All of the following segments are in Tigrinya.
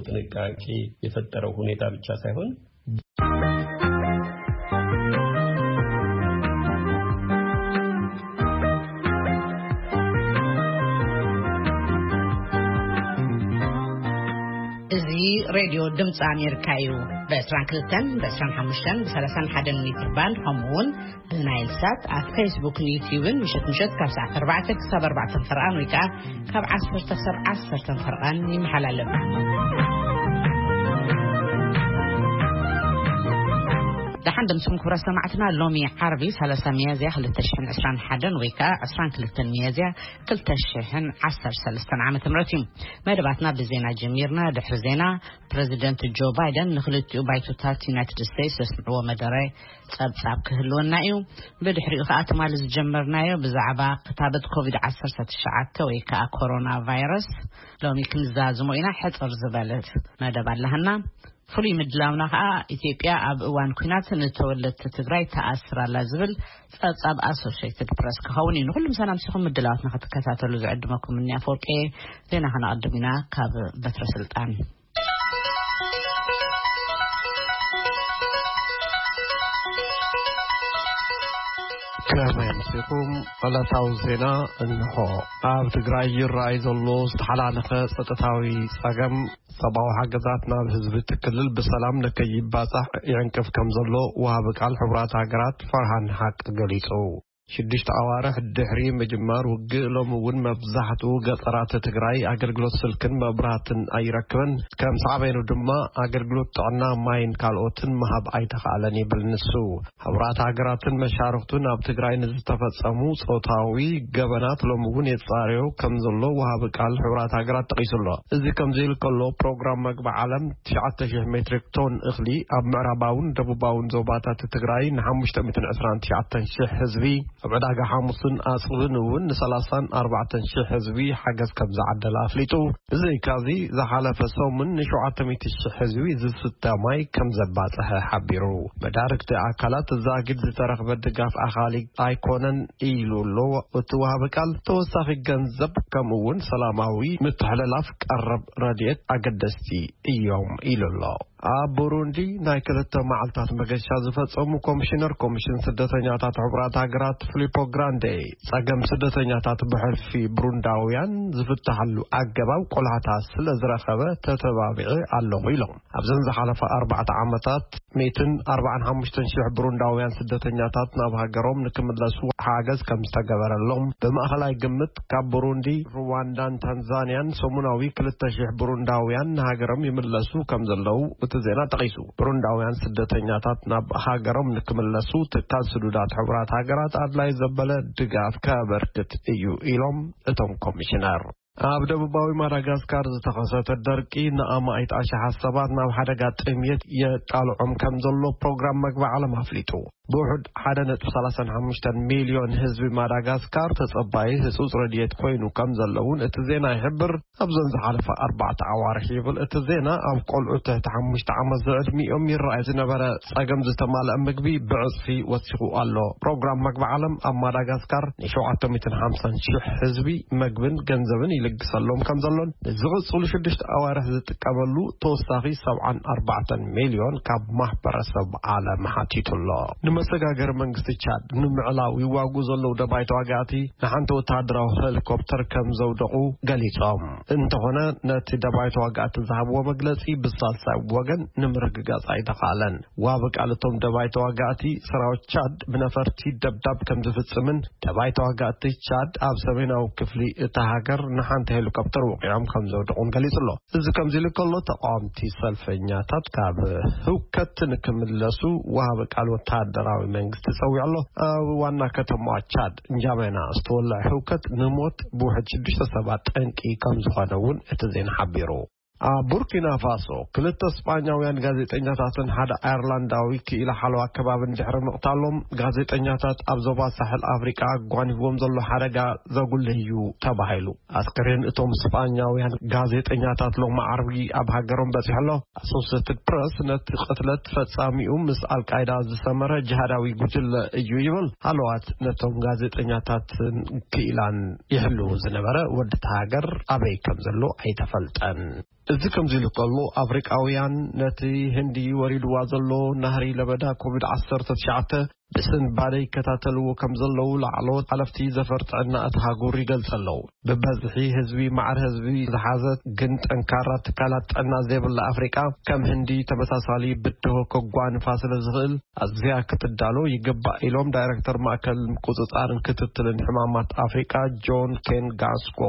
ጥንቃቄ የፈጠረው ሁኔታ ብቻ ሳይሆን እዚ ሬድዮ ድምፂ ኣሜሪካ እዩ። ብ22፣ ብ25፣ ብ31 ሜትር ባንድ፣ ከምኡ እውን ብናይል ሳት ኣብ ፌስቡክን ዩትዩብን ምሸት ምሸት ካብ ሰዓት 4 ክሳብ 4 ፈርቓን ወይ ከዓ ካብ 10 ክሳብ 10 ፈርቓን ይመሓላለፍ። ደሓን ድምፅኩም ክብረ ሰማዕትና፣ ሎሚ ዓርቢ 30 ሚያዝያ 2021 ወይ ከዓ 22 ሚያዝያ 2013 ዓመተ ምህረት እዩ። መደባትና ብዜና ጀሚርና። ድሕሪ ዜና ፕረዚደንት ጆ ባይደን ንክልቲኡ ባይቶታት ዩናይትድ ስቴትስ ዘስምዕዎ መደረ ጸብጻብ ክህልወና እዩ። ብድሕሪኡ ከኣ ትማሊ ዝጀመርናዮ ብዛዕባ ክታበት ኮቪድ-19 ወይ ከኣ ኮሮና ቫይረስ ሎሚ ክንዛዝሞ ኢና። ሕጽር ዝበለት መደብ ኣለሃና። ፍሉይ ምድላውና ከኣ ኢትዮጵያ ኣብ እዋን ኲናት ንተወለድቲ ትግራይ ተኣስር ኣላ ዝብል ጸብጻብ ኣሶሽየትድ ፕረስ ክኸውን እዩ። ንኹሉ ምሳና ምሲኹም ምድላዋትና ክትከታተሉ ዝዕድመኩም እኒ ኣፈወርቂ። ዜና ከነቐድም ኢና ካብ በትረ ስልጣን። ከመይ ኣምሲኹም? ዕለታዊ ዜና እንሆ። ኣብ ትግራይ ይረኣይ ዘሎ ዝተሓላለኸ ጸጥታዊ ጸገም ሰብኣዊ ሓገዛት ናብ ህዝቢ እቲ ክልል ብሰላም ንከይባጻሕ ይዕንቅፍ ከም ዘሎ ወሃቢ ቃል ሕቡራት ሃገራት ፈርሃን ሓቅ ገሊጹ። ሽዱሽተ ኣዋርሕ ድሕሪ ምጅማር ውግእ፣ ሎሚ እውን መብዛሕትኡ ገጠራት ትግራይ ኣገልግሎት ስልክን መብራህትን ኣይረክብን። ከም ሳዕቤኑ ድማ ኣገልግሎት ጥዕና፣ ማይን ካልኦትን ምሃብ ኣይተኻእለን ይብል ንሱ። ሕቡራት ሃገራትን መሻርኽቱን ኣብ ትግራይ ንዝተፈጸሙ ጾታዊ ገበናት ሎሚ እውን የጻርዮ ከም ዘሎ ወሃቢ ቃል ሕቡራት ሃገራት ጠቒሱ ኣሎ። እዚ ከምዚ ኢሉ ከሎ፣ ፕሮግራም መግቢ ዓለም 9,000 ሜትሪክ ቶን እኽሊ ኣብ ምዕራባውን ደቡባውን ዞባታት ትግራይ ን529,000 ህዝቢ፣ ኣብ ዕዳጋ ሓሙስን ኣጽብን እውን ን34,000 ህዝቢ ሓገዝ ከም ዝዓደለ ኣፍሊጡ። ብዘይካዚ፣ ዝሓለፈ ሰሙን ን700,000 ህዝቢ ዝስተ ማይ ከም ዘባጽሐ ሓቢሩ። መዳርግቲ ኣካላት፣ ዛጊድ ዝተረኽበ ድጋፍ ኣኻሊ ኣይኮነን ኢሉ ኣሎ እቲ ወሃቢ ቃል። ተወሳኺ ገንዘብ ከምኡ እውን ሰላማዊ ምትሕልላፍ ቀረብ ረድኤት ኣገደስቲ እዮም ኢሉ ኣሎ። ኣብ ቡሩንዲ ናይ ክልተ መዓልታት መገሻ ዝፈጸሙ ኮሚሽነር ኮሚሽን ስደተኛታት ሕቡራት ሃገራት ፊሊፖ ግራንዴ፣ ጸገም ስደተኛታት ብሕልፊ ብሩንዳውያን ዝፍታሓሉ ኣገባብ ቆላሕታ ስለ ዝረኸበ ተተባቢዐ ኣለኹ ኢሎም። ኣብዘን ዝሓለፋ ኣርባዕተ ዓመታት 145,000 ብሩንዳውያን ስደተኛታት ናብ ሃገሮም ንክምለሱ ሓገዝ ከም ዝተገበረሎም፣ ብማእኸላይ ግምት ካብ ብሩንዲ፣ ሩዋንዳን ታንዛንያን ሰሙናዊ 2,000 ብሩንዳውያን ንሃገሮም ይምለሱ ከም ዘለዉ እቲ ዜና ጠቒሱ። ብሩንዳውያን ስደተኛታት ናብ ሃገሮም ንክምለሱ ትካል ስዱዳት ሕቡራት ሃገራት ኣድላይ ዘበለ ድጋፍ ከበርክት እዩ ኢሎም እቶም ኮሚሽነር። ኣብ ደቡባዊ ማዳጋስካር ዝተኸሰተ ደርቂ ንኣማኢት ኣሽሓት ሰባት ናብ ሓደጋ ጥምየት የቃልዖም ከም ዘሎ ፕሮግራም መግቢ ዓለም ኣፍሊጡ። ብውሑድ 1.35 ሚልዮን ህዝቢ ማዳጋስካር ተጸባዪ ህጹጽ ረድኤት ኮይኑ ከም ዘለውን እቲ ዜና ይሕብር። ኣብዘን ዝሓለፈ ኣርባዕተ ኣዋርሕ ይብል እቲ ዜና፣ ኣብ ቆልዑ ትሕቲ ሓሙሽተ ዓመት ዝዕድሚኦም ይረኣይ ዝነበረ ጸገም ዝተማልአ ምግቢ ብዕጽፊ ወሲኹ ኣሎ። ፕሮግራም መግቢ ዓለም ኣብ ማዳጋስካር ን750,000 ህዝቢ መግብን ገንዘብን ይልግሰሎም ከም ዘሎን ንዝቕጽሉ ሽዱሽተ ኣዋርሕ ዝጥቀመሉ ተወሳኺ 74 ሚልዮን ካብ ማሕበረሰብ ዓለም ሓቲቱ ኣሎ። ንመሰጋገሪ መንግስቲ ቻድ ንምዕላው ይዋጉ ዘለዉ ደባይ ተዋጋእቲ ንሓንቲ ወተሃደራዊ ሄሊኮፕተር ከም ዘውደቑ ገሊጾም። እንተኾነ ነቲ ደባይ ተዋጋእቲ ዝሃብዎ መግለጺ ብሳልሳይ ወገን ንምርግጋጽ ኣይተኻእለን። ዋቢ ቃል እቶም ደባይ ተዋጋእቲ፣ ሰራዊት ቻድ ብነፈርቲ ደብዳብ ከም ዝፍጽምን ደባይ ተዋጋእቲ ቻድ ኣብ ሰሜናዊ ክፍሊ እታ ሃገር ንሓንቲ ሄሊኮፕተር ወቂዖም ከም ዘውደቑን ገሊጹ ኣሎ። እዚ ከምዚ ኢሉ ከሎ፣ ተቃወምቲ ሰልፈኛታት ካብ ህውከት ንክምለሱ ወሃቢ ቃል ወተሃደራዊ መንግስቲ ጸዊዑ ኣሎ። ኣብ ዋና ከተማዋ ቻድ እንጃሜና ዝተወልዐ ህውከት ንሞት ብውሕድ ሽዱሽተ ሰባት ጠንቂ ከም ዝኾነ እውን እቲ ዜና ሓቢሩ። ኣብ ቡርኪና ፋሶ ክልተ ስጳኛውያን ጋዜጠኛታትን ሓደ ኣየርላንዳዊ ክኢላ ሓለዋ ከባብን ድሕሪ ምቕታሎም፣ ጋዜጠኛታት ኣብ ዞባ ሳሕል ኣፍሪቃ ኣጓኒፍዎም ዘሎ ሓደጋ ዘጉልህ እዩ ተባሂሉ። ኣስከሬን እቶም ስጳኛውያን ጋዜጠኛታት ሎሚ ዓርቢ ኣብ ሃገሮም በጺሑ ኣሎ። ኣሶሴትድ ፕረስ ነቲ ቅትለት ፈጻሚኡ ምስ ኣልቃይዳ ዝሰመረ ጅሃዳዊ ጉጅለ እዩ ይብል። ሃለዋት ነቶም ጋዜጠኛታትን ክኢላን ይሕልዉ ዝነበረ ወዲ እታ ሃገር ኣበይ ከም ዘሎ ኣይተፈልጠን። እዚ ከምዚ ኢሉ ከሎ፣ ኣፍሪቃውያን ነቲ ህንዲ ወሪድዋ ዘሎ ናህሪ ለበዳ ኮቪድ ዓሰርተ ትሽዓተ ብስንባደ ይከታተልዎ ከም ዘለዉ ላዕለዎት ሓለፍቲ ዘፈር ጥዕና እቲ ሃጉር ይገልጽ ኣለዉ። ብበዝሒ ህዝቢ ማዕር ህዝቢ ዝሓዘት ግን ጠንካራ ትካላት ጥዕና ዘይብላ ኣፍሪቃ፣ ከም ህንዲ ተመሳሳሊ ብድሆ ከጓንፋ ስለ ዝኽእል፣ ኣዝያ ክትዳሎ ይግባእ ኢሎም ዳይሬክተር ማእከል ምቁጽጻርን ክትትልን ሕማማት ኣፍሪቃ ጆን ኬን ጋስኮ።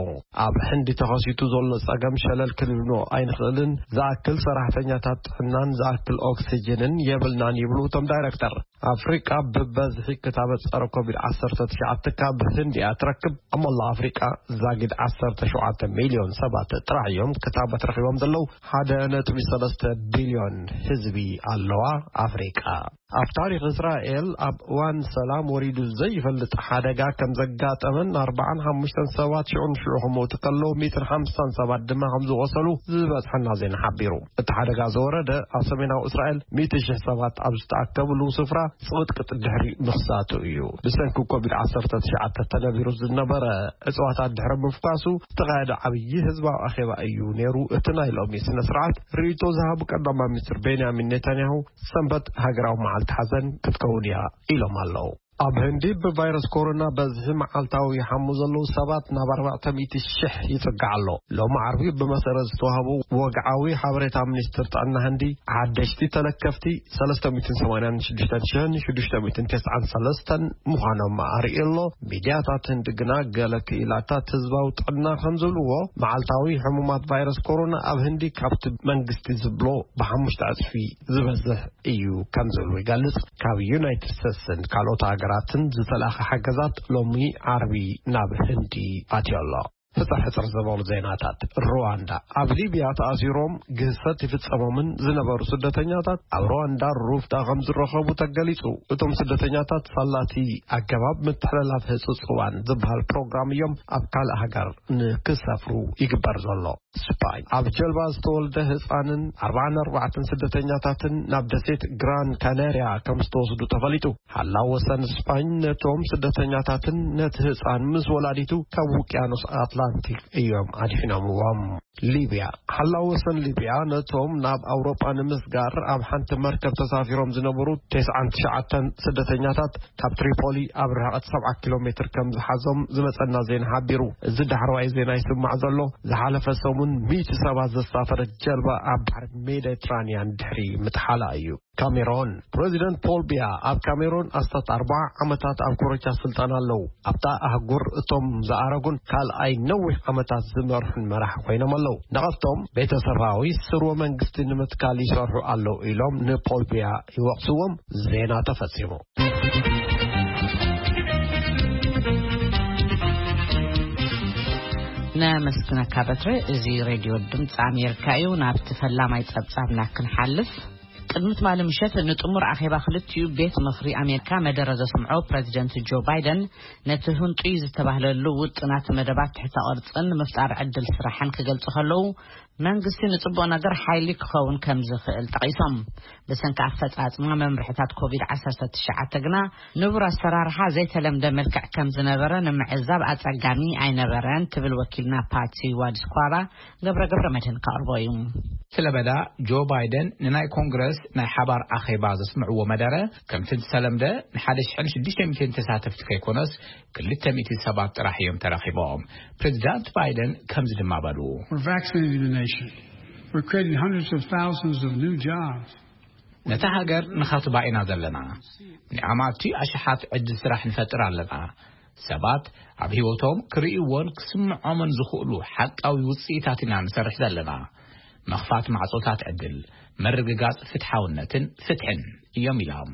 ኣብ ህንዲ ተኸሲቱ ዘሎ ጸገም ሸለል ክንብሎ ኣይንኽእልን፣ ዝኣክል ሰራሕተኛታት ጥዕናን ዝኣክል ኦክሲጅንን የብልናን ይብሉ እቶም ዳይሬክተር። ኣፍሪቃ ብበዝሒ ክታበት ጸረ ኮቪድ ዓሰርተ ትሽዓተ ካብ ህንዲ እያ ትረክብ። ኣብ መላእ ኣፍሪቃ ዛጊድ ዓሰርተ ሸውዓተ ሚልዮን ሰባት ጥራሕ እዮም ክታበት ረኺቦም ዘለዉ። ሓደ ነጥቢ ሰለስተ ቢልዮን ህዝቢ ኣለዋ ኣፍሪቃ። ኣብ ታሪኽ እስራኤል ኣብ እዋን ሰላም ወሪዱ ዘይፈልጥ ሓደጋ ከም ዘጋጠመን ኣርባዓን ሓሙሽተን ሰባት ሽዑ ንሽዑ ክሞቱ ከለዉ፣ ሚእትን ሓምሳን ሰባት ድማ ከም ዝቖሰሉ ዝበጽሐና ዜና ሓቢሩ። እቲ ሓደጋ ዝወረደ ኣብ ሰሜናዊ እስራኤል ሚእቲ ሽሕ ሰባት ኣብ ዝተኣከብሉ ስፍራ ጽቕጥቅጥ ድሕሪ ምኽሳቱ እዩ። ብሰንኪ ኮቪድ ዓሰርተ ትሽዓተ ተነቢሩ ዝነበረ እጽዋታት ድሕሪ ምፍኳሱ ዝተኻየደ ዓብዪ ህዝባዊ ኣኼባ እዩ ነይሩ። እቲ ናይ ሎሚ ስነ ስርዓት ርእይቶ ዝሃቡ ቀዳማይ ሚኒስትር ቤንያሚን ኔታንያሁ፣ ሰንበት ሃገራዊ መዓልቲ ሓዘን ክትከውን እያ ኢሎም ኣለዉ። ኣብ ህንዲ ብቫይረስ ኮሮና በዝሒ መዓልታዊ ይሓሙ ዘለዉ ሰባት ናብ ኣርባዕተ ሚእቲ ሽሕ ይጽጋዕ ኣሎ። ሎሚ ዓርቢ ብመሰረት ዝተዋህቡ ወግዓዊ ሓበሬታ ሚኒስትር ጥዕና ህንዲ፣ ሓደሽቲ ተለከፍቲ ሰለስተ ሚእትን ሰማንያን ሽዱሽተን ሽሕን ሽዱሽተ ሚእትን ተስዓን ሰለስተን ምዃኖም ኣርእዩ ኣሎ። ሚድያታት ህንዲ ግና ገለ ክኢላታት ህዝባዊ ጥዕና ከም ዝብልዎ፣ መዓልታዊ ሕሙማት ቫይረስ ኮሮና ኣብ ህንዲ ካብቲ መንግስቲ ዝብሎ ብሓሙሽተ ዕጽፊ ዝበዝሕ እዩ ከም ዝብሉ ይገልጽ። ካብ ዩናይትድ ስቴትስን ካልኦት ሃገራትን ዝተላእኸ ሓገዛት ሎሚ ዓርቢ ናብ ህንዲ ኣትዮ ኣሎ። ሕጽር ሕጽር ዝበሉ ዜናታት። ሩዋንዳ። ኣብ ሊብያ ተኣሲሮም ግህሰት ይፍጸሞምን ዝነበሩ ስደተኛታት ኣብ ሩዋንዳ ሩፍታ ከም ዝረኸቡ ተገሊጹ። እቶም ስደተኛታት ሳላቲ ኣገባብ ምትሕልላፍ ህጹጽ እዋን ዝበሃል ፕሮግራም እዮም ኣብ ካልእ ሃገር ንክሰፍሩ ይግበር ዘሎ። ስፓኝ። ኣብ ጀልባ ዝተወልደ ህጻንን ኣርባዓን ኣርባዕተን ስደተኛታትን ናብ ደሴት ግራን ካናርያ ከም ዝተወስዱ ተፈሊጡ። ሓላው ወሰን ስፓኝ ነቶም ስደተኛታትን ነቲ ህጻን ምስ ወላዲቱ ካብ ውቅያኖስ ኣትላንቲክ እዮም ኣድሒኖምዎም። ሊብያ። ሓላው ወሰን ሊብያ ነቶም ናብ ኣውሮጳ ንምስጋር ኣብ ሓንቲ መርከብ ተሳፊሮም ዝነበሩ ተስዓን ትሽዓተን ስደተኛታት ካብ ትሪፖሊ ኣብ ርሕቀት ሰብዓ ኪሎ ሜትር ከም ዝሓዞም ዝመጸና ዜና ሓቢሩ። እዚ ዳሕረዋይ ዜና ይስማዕ ዘሎ፣ ዝሓለፈ ሰሙን ሚእቲ ሰባት ዘሳፈረት ጀልባ ኣብ ባሕሪ ሜዲትራንያን ድሕሪ ምጥሓላ እዩ። ካሜሮን። ፕረዚደንት ፖል ቢያ ኣብ ካሜሮን ኣስታት ኣርባዓ ዓመታት ኣብ ኮረቻ ስልጣን ኣለዉ። ኣብታ ኣህጉር እቶም ዝኣረጉን ካልኣይ ነዊሕ ዓመታት ዝመርሑን መራሒ ኮይኖም ኣለዉ። ነቐፍቶም ቤተሰባዊ ስርወ መንግስቲ ንምትካል ይሰርሑ ኣለዉ ኢሎም ንፖል ቢያ ይወቕስዎም። ዜና ተፈጺሙ። ነመስግነካ በትረ። እዚ ሬድዮ ድምፂ ኣሜሪካ እዩ። ናብቲ ፈላማይ ጸብጻብና ክንሓልፍ፣ ቅድሚ ትማሊ ምሸት ንጥሙር ኣኼባ ክልቲኡ ቤት ምኽሪ ኣሜሪካ መደረ ዘስምዖ ፕረዚደንት ጆ ባይደን፣ ነቲ ህንጡይ ዝተባህለሉ ውጥናት መደባት ትሕተ ቅርጽን ምፍጣር ዕድል ስራሕን ክገልጹ ከለዉ፣ መንግስቲ ንጽቡቕ ነገር ሓይሊ ክኸውን ከም ዝኽእል ጠቒሶም። ብሰንኪ ኣፈጻጽማ መምርሕታት ኮቪድ ዓሰርተ ትሽዓተ ግና ንቡር ኣሰራርሓ ዘይተለምደ መልክዕ ከም ዝነበረ ንምዕዛብ ኣጸጋሚ ኣይነበረን ትብል ወኪልና ፓትሲ ዋድስኳራ። ገብረ ገብረ መድህን ከቕርቦ እዩ። ስለ በዳ ጆ ባይደን ንናይ ኮንግረስ ናይ ሓባር ኣኼባ ዘስምዕዎ መደረ ከምቲ ዝተለምደ ንሓደ ሽሕን ሽዱሽተ ሚእትን ተሳተፍቲ ከይኮነስ ክልተ ሚእቲ ሰባት ጥራሕ እዮም ተረኺቦም። ፕሬዚዳንት ባይደን ከምዚ ድማ በሉ። We're vaccinating the nation. We're creating hundreds of thousands of new jobs. ነታ ሃገር ንኸትባ ኢና ዘለና። ንኣማቲ ኣሽሓት ዕድል ስራሕ ንፈጥር ኣለና። ሰባት ኣብ ህይወቶም ክርእይዎን ክስምዖምን ዝኽእሉ ሓቃዊ ውጽኢታት ኢና ንሰርሕ ዘለና። ምኽፋት ማዕጾታት ዕድል፣ ምርግጋጽ ፍትሓውነትን ፍትሕን እዮም ኢሎም።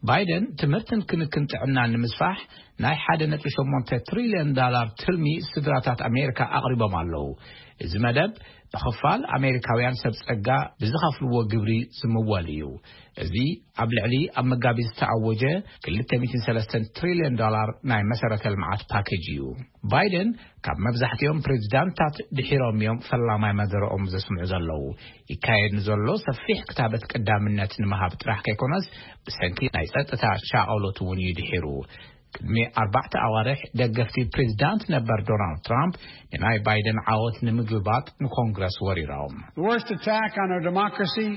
ባይደን ትምህርትን ክንክን ጥዕናን ንምስፋሕ ናይ ሓደ ነጥቢ ሸሞንተ ትሪልዮን ዳላር ትልሚ ስድራታት ኣሜሪካ ኣቕሪቦም ኣለዉ። እዚ መደብ ብኽፋል ኣሜሪካውያን ሰብ ጸጋ ብዝኸፍልዎ ግብሪ ዝምወል እዩ። እዚ ኣብ ልዕሊ ኣብ መጋቢት ዝተኣወጀ ክልተ ሚእትን ሰለስተን ትሪልዮን ዶላር ናይ መሰረተ ልምዓት ፓኬጅ እዩ። ባይደን ካብ መብዛሕትኦም ፕሬዚዳንታት ድሒሮም እዮም ፈላማይ መደረኦም ዘስምዑ ዘለዉ። ይካየድ ንዘሎ ሰፊሕ ክታበት ቀዳምነት ንምሃብ ጥራሕ ከይኮነስ ብሰንኪ ናይ ጸጥታ ሻቐሎት እውን እዩ ድሒሩ። ቅድሚ ኣርባዕተ ኣዋርሕ ደገፍቲ ፕሬዚዳንት ነበር ዶናልድ ትራምፕ ንናይ ባይደን ዓወት ንምግልባጥ ንኮንግረስ ወሪሮም። The worst attack on our democracy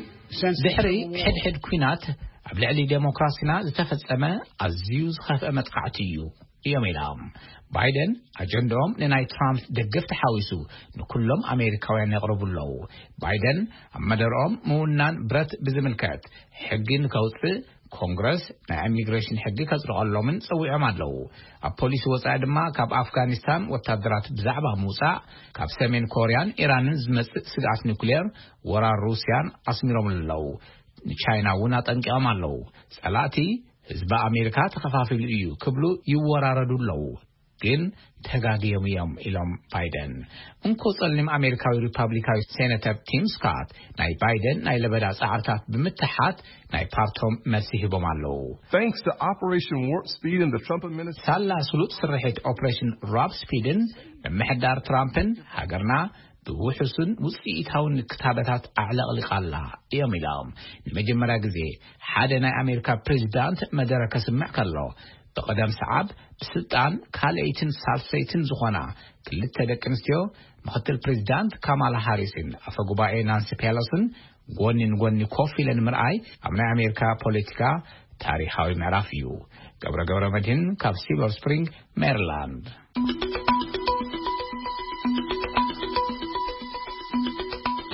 since the ድሕሪ Civil War. ሕድሕድ ኲናት ኣብ ልዕሊ ዴሞክራሲና ዝተፈጸመ ኣዝዩ ዝኸፍአ መጥቃዕቲ እዩ እዮም ኢሎም። ባይደን ኣጀንዳኦም ንናይ ትራምፕ ደገፍቲ ሓዊሱ ንኩሎም ኣሜሪካውያን የቕርቡ ኣለዉ። ባይደን ኣብ መደርኦም ምውናን ብረት ብዝምልከት ሕጊ ንከውፅእ ኮንግረስ ናይ ኢሚግሬሽን ሕጊ ከጽድቐሎምን ጸዊዖም ኣለዉ። ኣብ ፖሊሲ ወጻኢ ድማ ካብ ኣፍጋኒስታን ወታደራት ብዛዕባ ምውጻእ፣ ካብ ሰሜን ኮርያን ኢራንን ዝመጽእ ስግኣት ኒኩሌር፣ ወራር ሩስያን ኣስሚሮም ኣለዉ። ንቻይና እውን ኣጠንቂቖም ኣለዉ። ጸላእቲ ህዝቢ ኣሜሪካ ተኸፋፊሉ እዩ ክብሉ ይወራረዱ ኣለዉ። ግን ተጋግዮም እዮም ኢሎም ባይደን። እንኮ ጸሊም ኣሜሪካዊ ሪፓብሊካዊ ሴነተር ቲም ስካት ናይ ባይደን ናይ ለበዳ ጻዕርታት ብምትሓት ናይ ፓርቶም መልሲ ሂቦም ኣለዉ። Thanks to Operation Warp Speed and the Trump administration. ሳላ ስሉጥ ስርሒት ኦፕሬሽን ራፕ ስፒድን ምምሕዳር ትራምፕን ሃገርና ብውሑስን ውፅኢታውን ክታበታት ኣዕለቕሊቓ ኣላ እዮም ኢሎም። ንመጀመርያ ግዜ ሓደ ናይ ኣሜሪካ ፕሬዚዳንት መደረ ከስምዕ ከሎ ብቐደም ሰዓብ ብስልጣን ካልኣይትን ሳልሰይትን ዝኾና ክልተ ደቂ ኣንስትዮ ምክትል ፕሬዚዳንት ካማላ ሃሪስን ኣፈ ጉባኤ ናንሲ ፔሎስን ጎኒ ንጎኒ ኮፍ ኢለን ምርኣይ ኣብ ናይ ኣሜሪካ ፖለቲካ ታሪኻዊ ምዕራፍ እዩ። ገብረ ገብረ መድህን ካብ ሲልቨር ስፕሪንግ ሜሪላንድ።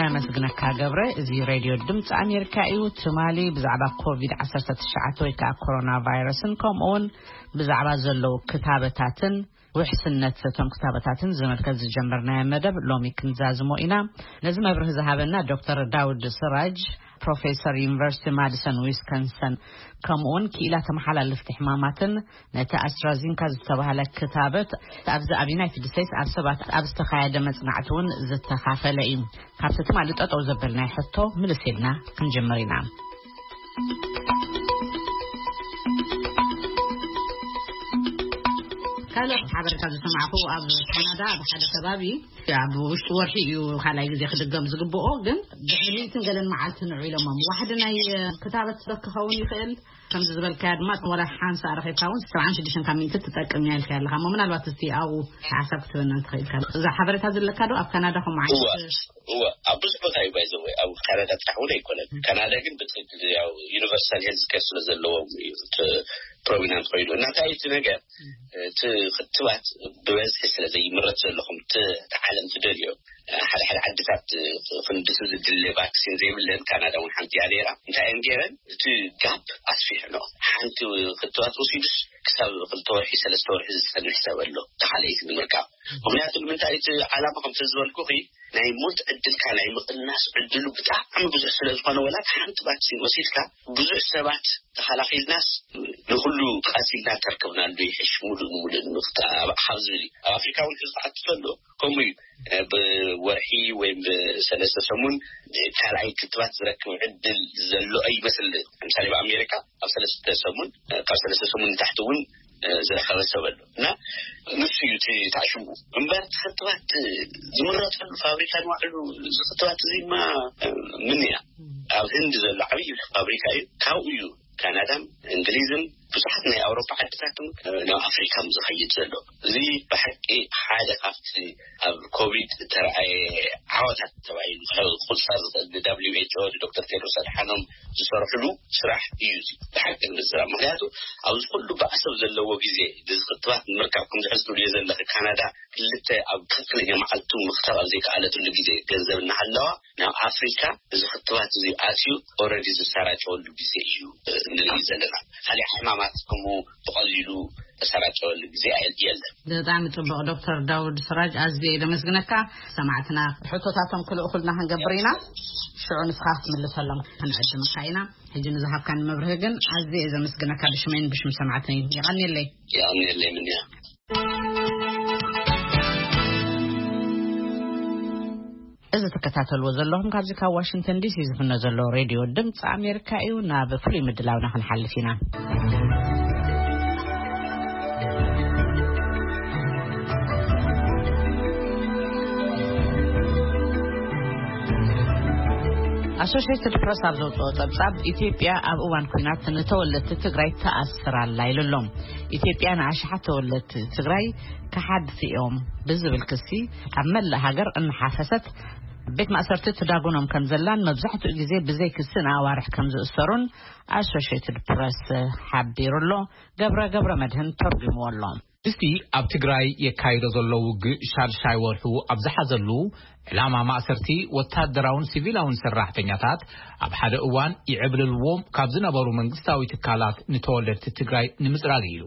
ኣመስግነካ ገብረ። እዚ ሬድዮ ድምፂ ኣሜሪካ እዩ። ትማሊ ብዛዕባ ኮቪድ ዓሰርተ ትሽዓተ ወይ ከዓ ኮሮና ቫይረስን ከምኡ እውን ብዛዕባ ዘለዉ ክታበታትን ውሕስነት እቶም ክታበታትን ዝምልከት ዝጀመርናዮ መደብ ሎሚ ክንዛዝሞ ኢና። ነዚ መብርሂ ዝሃበና ዶክተር ዳውድ ስራጅ፣ ፕሮፌሰር ዩኒቨርሲቲ ማዲሰን ዊስኮንሰን፣ ከምኡውን ክኢላ ተመሓላለፍቲ ሕማማትን ነቲ ኣስትራዚንካ ዝተባህለ ክታበት ኣብዚ ኣብ ዩናይትድ ስቴትስ ኣብ ሰባት ኣብ ዝተኻየደ መጽናዕቲ እውን ዝተኻፈለ እዩ። ካብቲ ትማሊ ጠጠው ዘበልናዮ ሕቶ ምልስ ኢልና ክንጅምር ኢና። ካልእ ሓበሬታ ዝሰማዕኩ ኣብ ካናዳ ኣብ ሓደ ከባቢ ኣብ ውሽጢ ወርሒ እዩ ካልኣይ ግዜ ክድገም ዝግብኦ፣ ግን ድሕሪ ሚእትን ገለን መዓልቲ ንዑ ኢሎሞም። ዋሕዲ ናይ ክታበት ክኸውን ይኽእል። ከምዚ ዝበልካያ ድማ ወላ ሓንሳ ረኺብካ እውን ሰብዓን ሽዱሽተን ካብ ሚእቲ ትጠቅም እያ ኢልካ ኣለኻ። እሞ ምናልባት እስቲ ኣብኡ ሓሳብ ክትበና እንተኽእል ኢልካ። እዛ ሓበሬታ ዘለካ ዶ ኣብ ካናዳ ከምኡ ዓይነት? እወ፣ እወ፣ ኣብ ብዙሕ ቦታ እዩ ባይዘወ፣ ኣብ ካናዳ ጥራሕ እውን ኣይኮነን። ካናዳ ግን ብትክክል ያው ዩኒቨርሳል ሄልዝ ኬር ስለ ዘለዎም እዩ እቲ ፕሮሚናንት ኮይኑ። እና እንታይ እቲ ነገር፣ እቲ ክትባት ብበዝሒ ስለ ዘይምረት ዘለኹም እቲ፣ እቲ ዓለም ትደልዮ፣ ሓደ ሓደ ዓድታት ክንድቲ ዝድለ ቫክሲን ዘይብለን፣ ካናዳ እውን ሓንቲ እያ ነይራ። እንታይ እየን ገይረን? እቲ ጋፕ ኣስፊሕኖ። ሓንቲ ክትባት ወሲዱስ ክሳብ ክልተ ወርሒ፣ ሰለስተ ወርሒ ዝጸንሕ ሰብ ኣሎ፣ እቲ ካልኣይቲ ንምርካብ። ምኽንያቱ ንምንታይ? እቲ ዓላማ ከምቲ ዝበልኩኺ ናይ ሞት ዕድልካ ናይ ምቕናስ ዕድሉ ብጣዕሚ ብዙሕ ስለ ዝኾነ፣ ወላ ሓንቲ ቫክሲን ወሲድካ ብዙሕ ሰባት ተኸላኺልናስ ንኹሉ ቀቲልና ተርክብናሉ ይሕሽ፣ ሙሉእ ንሙሉእ ንምኽታ-፣ ኣብ፣ ካብ ዝብል እዩ። ኣብ ኣፍሪካ እውን ሕዚ ክኣቱ ከሎ ከምኡ እዩ። እ፣ ብወርሒ ወይም ብሰለስተ ሰሙን ካልኣይ ክትባት ዝረክብ ዕድል ዘሎ ኣይመስል። ለምሳሌ ብኣሜሪካ ኣብ ሰለስተ ሰሙን፣ እ፣ ካብ ሰለስተ ሰሙን ንታሕቲ እውን፣ እ፣ ዝረኸበ ሰብ ኣሎ። እና ንሱ እዩ እቲ ታሽሙ እምበር፣ እቲ ክትባት ዝምረጠሉ ፋብሪካ ንባዕሉ፣ እዚ ክትባት እዚማ፣ እ፣ ምን እያ ኣብ ህንድ ዘሎ ዓብዪ ፋብሪካ እዩ። ካብኡ እዩ ካናዳን እንግሊዝን ብዙሓት ናይ ኣውሮፓ ዓድታትን፣ እ፣ ናብ ኣፍሪካ ዝኸይድ ዘሎ። እዚ ብሓቂ ሓደ ካብቲ ኣብ ኮቪድ እተረኣየ ዓወታት ተባሂሉ ክቑጸር ዝኽእል፣ ን ደብሊው ኤች ኦ፣ ንዶክተር ቴድሮስ ኣድሓኖም ዝሰርሕሉ ስራሕ እዩ እዚ። ብሓቂ ንምዝራብ፣ ምኽንያቱ ኣብዚ ኩሉ ባእሰብ ዘለዎ ግዜ፣ እዚ ክትባት ንምርካብ፣ ከምዚ ሕዚ ትብልዮ ዘለኺ፣ ካናዳ ክልተ ኣብ ትኽክለኛ መዓልቱ ምኽታብ ኣብ ዘይከኣለትሉ ግዜ፣ ገንዘብ እናሃለዋ፣ ናብ ኣፍሪካ እዚ ክትባት እዚ ኣትዩ፣ ኦረዲ ዝሰራጨወሉ ግዜ እዩ፣ እ፣ ንርኢ ዘለና። ካልእ ሕማማት ከምኡ ብቐሊሉ ተሰራጨወሉ ግዜ ኣየ-፣ የለን። ብጣዕሚ ጽቡቕ ዶክተር ዳውድ ስራጅ፣ ኣዝየ እየ ዘመስግነካ። ሰማዕትና ሕቶታቶም ክልእኹልና ክንገብር ኢና። ሽዑ ንስኻ ክትምልሰሎም ክንዕድመካ ኢና። ሕጂ ንዝሃብካኒ መብርሂ ግን ኣዝየ እየ ዘመስግነካ፣ ብሽመይን ብሽም ሰማዕተይን። የቐንየለይ። የቐንየለይ ምንያ። እዚ ትከታተልዎ ዘለኹም ካብዚ ካብ ዋሽንግተን ዲሲ ዝፍኖ ዘሎ ሬድዮ ድምፂ ኣሜሪካ እዩ። ናብ ፍሉይ ምድላውና ክንሓልፍ ኢና። ኣሶሽየትድ ፕረስ ኣብ ዘውፅኦ ጸብጻብ፣ ኢትዮጵያ ኣብ እዋን ኲናት ንተወለድቲ ትግራይ ትኣስር ኣላ ኢሉ ኣሎ። ኢትዮጵያ ንኣሽሓት ተወለድቲ ትግራይ ከሓድቲ እዮም ብዝብል ክሲ ኣብ መላእ ሃገር እናሓፈሰት ቤት ማእሰርቲ ትዳጉኖም ከም ዘላን መብዛሕትኡ ግዜ ብዘይ ክሲ ንኣዋርሕ ከም ዝእሰሩን ኣሶሽየትድ ፕረስ ሓቢሩ ኣሎ። ገብረ ገብረ መድህን ተርጉምዎ ኣሎ። እስቲ ኣብ ትግራይ የካይዶ ዘሎ ውግእ ሻድሻይ ወርሑ ኣብ ዝሓዘሉ፣ ዕላማ ማእሰርቲ ወታደራውን ሲቪላውን ሰራሕተኛታት ኣብ ሓደ እዋን ይዕብልልዎም ካብ ዝነበሩ መንግስታዊ ትካላት ንተወለድቲ ትግራይ ንምጽራግ እዩ።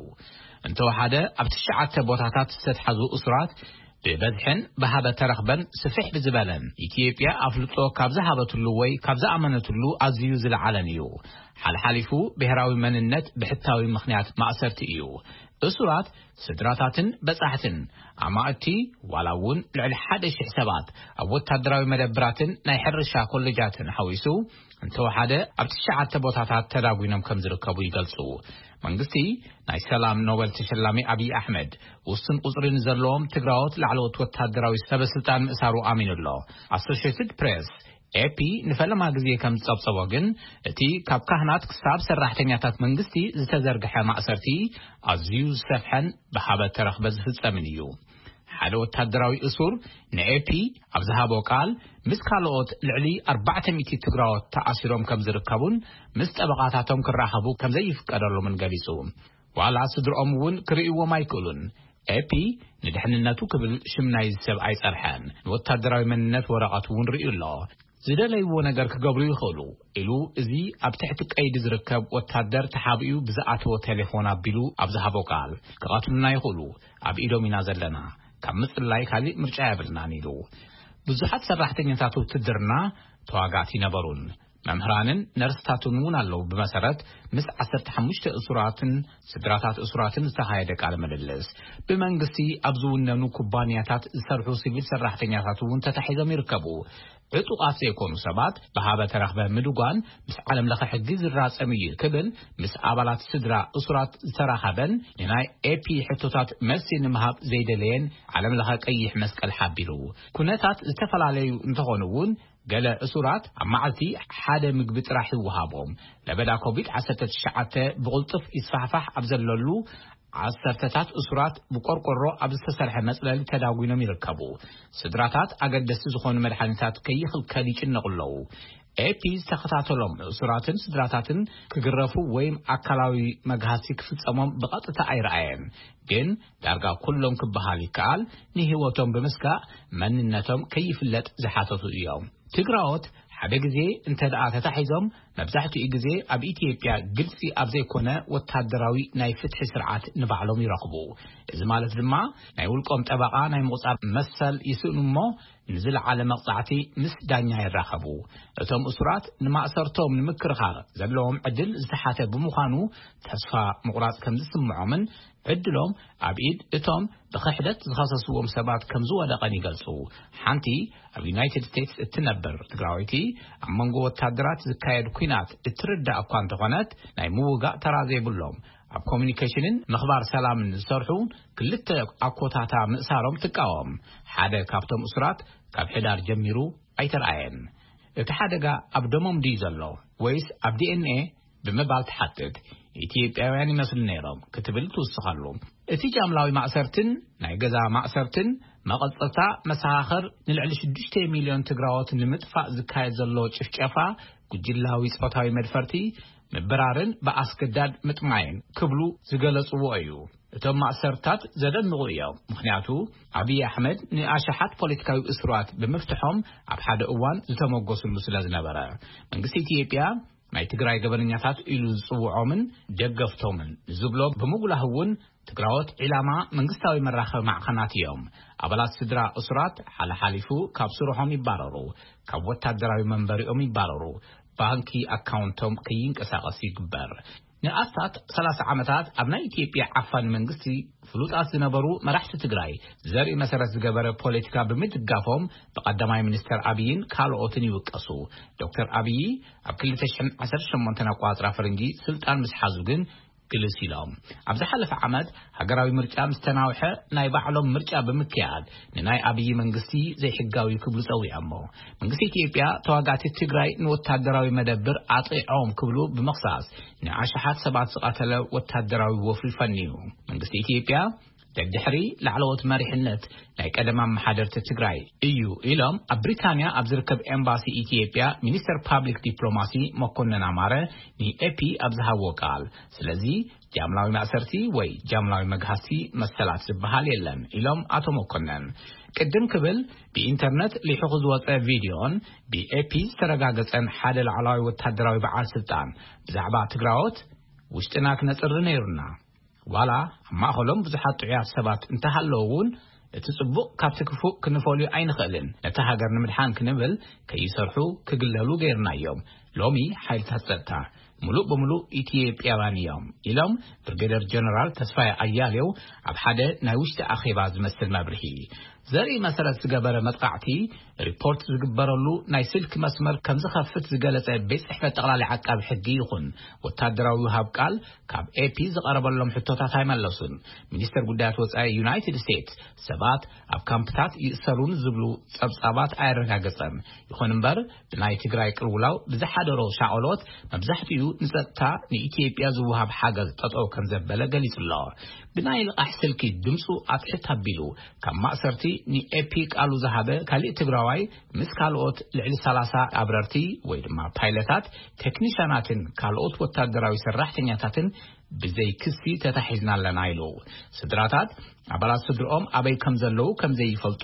እንተወሓደ ኣብ ትሽዓተ ቦታታት ዝተትሓዙ እሱራት ብበዝሕን ብሃበ ተረኽበን ስፍሕ ብዝበለን ኢትዮጵያ ኣፍልጦ ካብ ዝሃበትሉ ወይ ካብ ዝኣመነትሉ ኣዝዩ ዝለዓለን እዩ። ሓልሓሊፉ ብሔራዊ መንነት ብሕታዊ ምኽንያት ማእሰርቲ እዩ። እሱራት ስድራታትን በጻሕትን ኣማእቲ ዋላ እውን ልዕሊ ሓደ ሽሕ ሰባት ኣብ ወታደራዊ መደብራትን ናይ ሕርሻ ኮሌጃትን ሓዊሱ እንተወሓደ ኣብ ትሽዓተ ቦታታት ተዳጒኖም ከም ዝርከቡ ይገልጹ። መንግስቲ ናይ ሰላም ኖበል ተሸላሚ ኣብይ ኣሕመድ ውሱን ቁጽሪ ንዘለዎም ትግራዎት ላዕለዎት ወታደራዊ ሰበስልጣን ምእሳሩ ኣሚኑ ኣሎ። ኣሶሽየትድ ፕሬስ፣ ኤፒ፣ ንፈለማ ግዜ ከም ዝጸብጸቦ ግን እቲ ካብ ካህናት ክሳብ ሰራሕተኛታት መንግስቲ ዝተዘርግሐ ማእሰርቲ ኣዝዩ ዝሰፍሐን ብሃበ ተረኽበ ዝፍጸምን እዩ። ሓደ ወታደራዊ እሱር ንኤፒ ኣብ ዝሃቦ ቃል፣ ምስ ካልኦት ልዕሊ ኣርባዕተ ሚእቲ ትግራዎት ተኣሲሮም ከም ዝርከቡን ምስ ጠበቓታቶም ክራኸቡ ከም ዘይፍቀደሎምን ገሊጹ። ዋላ ስድርኦም እውን ክርእይዎም ኣይክእሉን። ኤፒ ንድሕንነቱ ክብል ሽም ናይዚ ሰብ ኣይጸርሐን። ንወታደራዊ መንነት ወረቐት እውን ርእዩ ኣሎ። ዝደለይዎ ነገር ክገብሩ ይኽእሉ ኢሉ፣ እዚ ኣብ ትሕቲ ቀይዲ ዝርከብ ወታደር ተሓቢኡ ብዝኣተወ ቴሌፎን ኣቢሉ ኣብ ዝሃቦ ቃል፣ ክቐትሉና ይኽእሉ፣ ኣብ ኢዶም ኢና ዘለና፣ ካብ ምጽላይ ካሊእ ምርጫ የብልናን ኢሉ። ብዙሓት ሰራሕተኛታት ውትድርና ተዋጋእቲ ይነበሩን መምህራንን ነርስታትን እውን ኣለዉ። ብመሰረት ምስ ዓሰርተ ሓሙሽተ እሱራትን ስድራታት እሱራትን ዝተኻየደ ቃለ ምልልስ፣ ብመንግስቲ ኣብ ዝውነኑ ኩባንያታት ዝሰርሑ ሲቪል ሰራሕተኛታት እውን ተታሒዞም ይርከቡ። ዕጡቓት ዘይኮኑ ሰባት ብሃበ ተረኽበ ምድጓን ምስ ዓለም ለኸ ሕጊ ዝራጸም እዩ ክብል ምስ ኣባላት ስድራ እሱራት ዝተራኸበን ንናይ ኤፒ ሕቶታት መልሲ ንምሃብ ዘይደለየን ዓለም ለኸ ቀይሕ መስቀል ሓቢሩ። ኩነታት ዝተፈላለዩ እንተኾኑ እውን ገለ እሱራት ኣብ መዓልቲ ሓደ ምግቢ ጥራሕ ይወሃቦም። ለበዳ ኮቪድ ዓሰርተ ትሽዓተ ብቕልጡፍ ይስፋሕፋሕ ኣብ ዘለሉ ዓሰርተታት እሱራት ብቆርቆሮ ኣብ ዝተሰርሐ መጽለሊ ተዳጒኖም ይርከቡ። ስድራታት ኣገደስቲ ዝኾኑ መድሓኒታት ከይኽልከል ይጭነቑ ኣለዉ። ኤፒ ዝተኸታተሎም እሱራትን ስድራታትን ክግረፉ ወይም ኣካላዊ መግሃሲ ክፍጸሞም ብቐጥታ ኣይረኣየን። ግን ዳርጋ ኩሎም ክበሃል ይከኣል ንህይወቶም ብምስጋእ መንነቶም ከይፍለጥ ዝሓተቱ እዮም። ትግራዎት ሓደ ግዜ እንተ ደኣ ተታሒዞም፣ መብዛሕትኡ ግዜ ኣብ ኢትዮጵያ ግልጺ ኣብ ዘይኮነ ወታደራዊ ናይ ፍትሒ ስርዓት ንባዕሎም ይረኽቡ። እዚ ማለት ድማ ናይ ውልቆም ጠበቓ ናይ ምቑጻር መሰል ይስእኑ እሞ፣ ንዝለዓለ መቕጻዕቲ ምስ ዳኛ ይራኸቡ። እቶም እሱራት ንማእሰርቶም ንምክርኻር ዘለዎም ዕድል ዝተሓተ ብምዃኑ፣ ተስፋ ምቑራጽ ከም ዝስምዖምን ዕድሎም ኣብ ኢድ እቶም ብኽሕደት ዝኸሰስዎም ሰባት ከም ዝወደቐን ይገልጹ። ሓንቲ ኣብ ዩናይትድ ስቴትስ እትነብር ትግራወይቲ፣ ኣብ መንጎ ወታደራት ዝካየድ ኲናት እትርዳእ እኳ እንተኾነት፣ ናይ ምውጋእ ተራ ዘይብሎም፣ ኣብ ኮሚኒኬሽንን ምኽባር ሰላምን ዝሰርሑ ክልተ ኣኮታታ ምእሳሮም ትቃወም። ሓደ ካብቶም እሱራት ካብ ሕዳር ጀሚሩ ኣይተረኣየን። እቲ ሓደጋ ኣብ ደሞም ድዩ ዘሎ ወይስ ኣብ ዲኤንኤ ብምባል ትሓትት። ኢትዮጵያውያን ይመስሉ ነይሮም ክትብል ትውስኸሉ። እቲ ጃምላዊ ማእሰርትን ናይ ገዛ ማእሰርትን መቐጸልታ መሰኻኽር ንልዕሊ ሽዱሽተ ሚልዮን ትግራዎት ንምጥፋእ ዝካየድ ዘሎ ጭፍጨፋ፣ ጉጅላዊ ጾታዊ መድፈርቲ፣ ምብራርን ብኣስገዳድ ምጥማይን ክብሉ ዝገለጽዎ እዩ። እቶም ማእሰርታት ዘደንቑ እዮም። ምኽንያቱ ኣብይ ኣሕመድ ንኣሽሓት ፖለቲካዊ እሱራት ብምፍትሖም ኣብ ሓደ እዋን ዝተመጎስሉ ስለ ዝነበረ። መንግስቲ ኢትዮጵያ ናይ ትግራይ ገበነኛታት ኢሉ ዝጽውዖምን ደገፍቶምን ዝብሎ ብምጉላህ እውን ትግራዎት ዒላማ መንግስታዊ መራኸቢ ማዕኸናት እዮም። ኣባላት ስድራ እሱራት ሓለሓሊፉ ካብ ስርሖም ይባረሩ፣ ካብ ወታደራዊ መንበሪኦም ይባረሩ፣ ባንኪ ኣካውንቶም ከይንቀሳቐስ ይግበር። ንኣስታት ሰላሳ ዓመታት ኣብ ናይ ኢትዮጵያ ዓፋኒ መንግስቲ ፍሉጣት ዝነበሩ መራሕቲ ትግራይ ዘርኢ መሰረት ዝገበረ ፖለቲካ ብምድጋፎም ብቀዳማይ ሚኒስተር ኣብይን ካልኦትን ይውቀሱ። ዶክተር ኣብይ ኣብ ክልተ ሽሕን ዓሰርተ ሸሞንተን ኣቋጽራ ፈረንጂ ስልጣን ምስ ሓዙ ግን ግልጽ ኢሎም። ኣብ ዝሓለፈ ዓመት ሃገራዊ ምርጫ ምስ ተናውሐ፣ ናይ ባዕሎም ምርጫ ብምክያድ፣ ንናይ ኣብይ መንግስቲ ዘይሕጋዊ ክብሉ ጸዊዖሞ። መንግስቲ ኢትዮጵያ ተዋጋእቲ ትግራይ ንወታደራዊ መደብር ኣጥቂዖም ክብሉ ብምኽሳስ፣ ንኣሽሓት ሰባት ዝቐተለ ወታደራዊ ወፍሪ ፈንዩ። መንግስቲ ኢትዮጵያ ደድሕሪ ላዕለዎት መሪሕነት ናይ ቀደም ኣመሓደርቲ ትግራይ እዩ ኢሎም፣ ኣብ ብሪታንያ ኣብ ዝርከብ ኤምባሲ ኢትዮጵያ ሚኒስተር ፓብሊክ ዲፕሎማሲ መኮንን ኣማረ ንኤፒ ኣብ ዝሃብዎ ቃል። ስለዚ ጃምላዊ ማእሰርቲ ወይ ጃምላዊ መግሃስቲ መሰላት ዝበሃል የለን ኢሎም ኣቶ መኮንን። ቅድም ክብል ብኢንተርነት ሊሑኹ ዝወፀ ቪድዮን ብኤፒ ዝተረጋገጸን ሓደ ላዕላዊ ወታደራዊ በዓል ስልጣን ብዛዕባ ትግራዎት ውሽጥና ክነጽሪ ነይሩና። ዋላ ኣብ ማእኸሎም ብዙሓት ጥዑያት ሰባት እንተሃለዉ እውን፣ እቲ ጽቡቕ ካብቲ ክፉእ ክንፈልዩ ኣይንኽእልን። ነታ ሃገር ንምድሓን ክንብል ከይሰርሑ ክግለሉ ገይርናዮም። ሎሚ ሓይልታት ጸጥታ ምሉእ ብምሉእ ኢትዮጵያውያን እዮም ኢሎም ብርጌደር ጀነራል ተስፋዬ ኣያሌው ኣብ ሓደ ናይ ውሽጢ ኣኼባ ዝመስል መብርሂ። ዘርኢ መሰረት ዝገበረ መጥቃዕቲ ሪፖርት ዝግበረሉ ናይ ስልክ መስመር ከም ዝኸፍት ዝገለጸ ቤት ጽሕፈት ጠቕላሊ ዓቃቢ ሕጊ ይኹን ወታደራዊ ሃብ ቃል ካብ ኤፒ ዝቐረበሎም ሕቶታት ኣይመለሱን። ሚኒስተር ጉዳያት ወጻኢ ዩናይትድ ስቴትስ ሰባት ኣብ ካምፕታት ይእሰሩን ዝብሉ ጸብጻባት ኣየረጋገጸን። ይኹን እምበር ብናይ ትግራይ ቅልውላው ብዝሓደሮ ሻቐሎት መብዛሕትኡ ንጸጥታ ንኢትዮጵያ ዝወሃብ ሓገዝ ጠጠው ከም ዘበለ ገሊጹ ኣሎ። ብናይ ልቓሕ ስልኪ ድምፁ ኣትሕት ኣቢሉ ካብ ማእሰርቲ ንኤፒ ቃሉ ዝሃበ ካሊእ ትግራዋይ ምስ ካልኦት ልዕሊ ሰላሳ ኣብረርቲ ወይ ድማ ፓይለታት፣ ቴክኒሻናትን ካልኦት ወታደራዊ ሰራሕተኛታትን ብዘይ ክሲ ተታሒዝና ኣለና ኢሉ። ስድራታት ኣባላት ስድርኦም ኣበይ ከም ዘለዉ ከም ዘይፈልጡ፣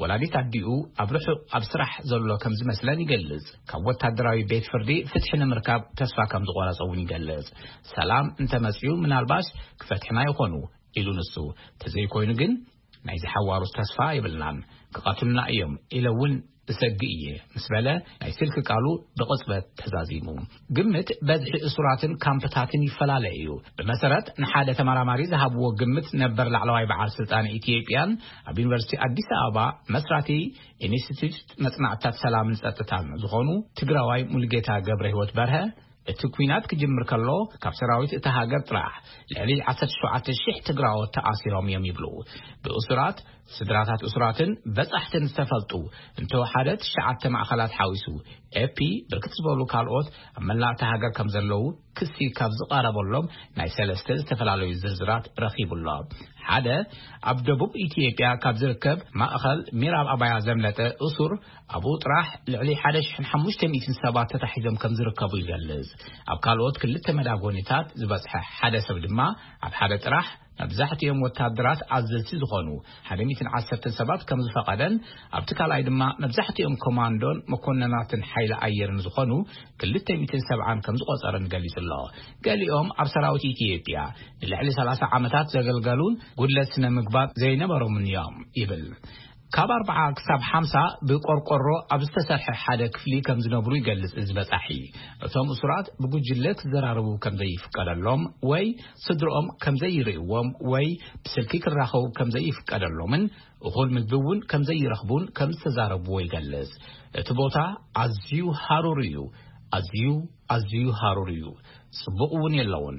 ወላዲት ኣዲኡ ኣብ ርሑቕ ኣብ ስራሕ ዘሎ ከም ዝመስለን ይገልጽ። ካብ ወታደራዊ ቤት ፍርዲ ፍትሒ ንምርካብ ተስፋ ከም ዝቖረጸ እውን ይገልጽ። ሰላም እንተመጽኡ ምናልባሽ ክፈትሕና ይኾኑ ኢሉ ንሱ። ተዘይኮይኑ ግን ናይ ዝሓዋሩስ ተስፋ የብልናን፣ ክቐትሉና እዮም ኢለ እውን እሰግእ እየ ምስ በለ ናይ ስልኪ ቃሉ ብቕጽበት ተዛዚሙ። ግምት በዝሒ እሱራትን ካምፕታትን ይፈላለ እዩ። ብመሰረት ንሓደ ተመራማሪ ዝሃብዎ ግምት ነበር ላዕለዋይ በዓል ስልጣን ኢትዮጵያን ኣብ ዩኒቨርሲቲ ኣዲስ ኣበባ መስራቲ ኢንስቲትዩት መጽናዕትታት ሰላምን ጸጥታን ዝኾኑ ትግራዋይ ሙሉጌታ ገብረ ህይወት በርሀ እቲ ኲናት ክጅምር ከሎ ካብ ሰራዊት እታ ሃገር ጥራሕ ልዕሊ ዓሰርተ ሸውዓተ ሺሕ ትግራዎት ተኣሲሮም እዮም ይብሉ። ብእሱራት ስድራታት እሱራትን በጻሕትን ዝተፈልጡ እንተወሓደ ትሽዓተ ማእኸላት ሓዊሱ ኤፒ ብርክት ዝበሉ ካልኦት ኣብ መላእ እታ ሃገር ከም ዘለዉ ክሲ ካብ ዝቐረበሎም ናይ ሰለስተ ዝተፈላለዩ ዝርዝራት ረኺቡ ኣሎ። ሓደ ኣብ ደቡብ ኢትዮጵያ ካብ ዝርከብ ማእኸል ሚራብ ኣባያ ዘምለጠ እሱር ኣብኡ ጥራሕ ልዕሊ ሓደ ሽሕን ሓሙሽተ ሚእትን ሰባት ተታሒዞም ከም ዝርከቡ ይገልጽ። ኣብ ካልኦት ክልተ መዳጎኒታት ዝበጽሐ ሓደ ሰብ ድማ ኣብ ሓደ ጥራሕ መብዛሕትኦም ወታደራት ኣዘዝቲ ዝኾኑ ሓደ ሚእትን ዓሰርተን ሰባት ከም ዝፈቐደን ኣብቲ ካልኣይ ድማ መብዛሕትኦም ኮማንዶን መኮነናትን ሓይሊ ኣየርን ዝኾኑ ክልተ ሚእትን ሰብዓን ከም ዝቖጸረን ገሊጹ ኣሎ። ገሊኦም ኣብ ሰራዊት ኢትዮጵያ ንልዕሊ ሰላሳ ዓመታት ዘገልገሉን ጉድለት ስነ ምግባር ዘይነበሮምን እዮም ይብል። ካብ ኣርብዓ ክሳብ ሓምሳ ብቆርቆሮ ኣብ ዝተሰርሐ ሓደ ክፍሊ ከም ዝነብሩ ይገልጽ እዚ በጻሒ። እቶም እሱራት ብጉጅለ ክዘራረቡ ከም ዘይፍቀደሎም ወይ ስድርኦም ከም ዘይርእዎም ወይ ብስልኪ ክራኸቡ ከም ዘይፍቀደሎምን እኹል ምግቢ እውን ከም ዘይረኽቡን ከም ዝተዛረብዎ ይገልጽ። እቲ ቦታ ኣዝዩ ሃሩር እዩ፣ ኣዝዩ ኣዝዩ ሃሩር እዩ፣ ጽቡቕ እውን የለውን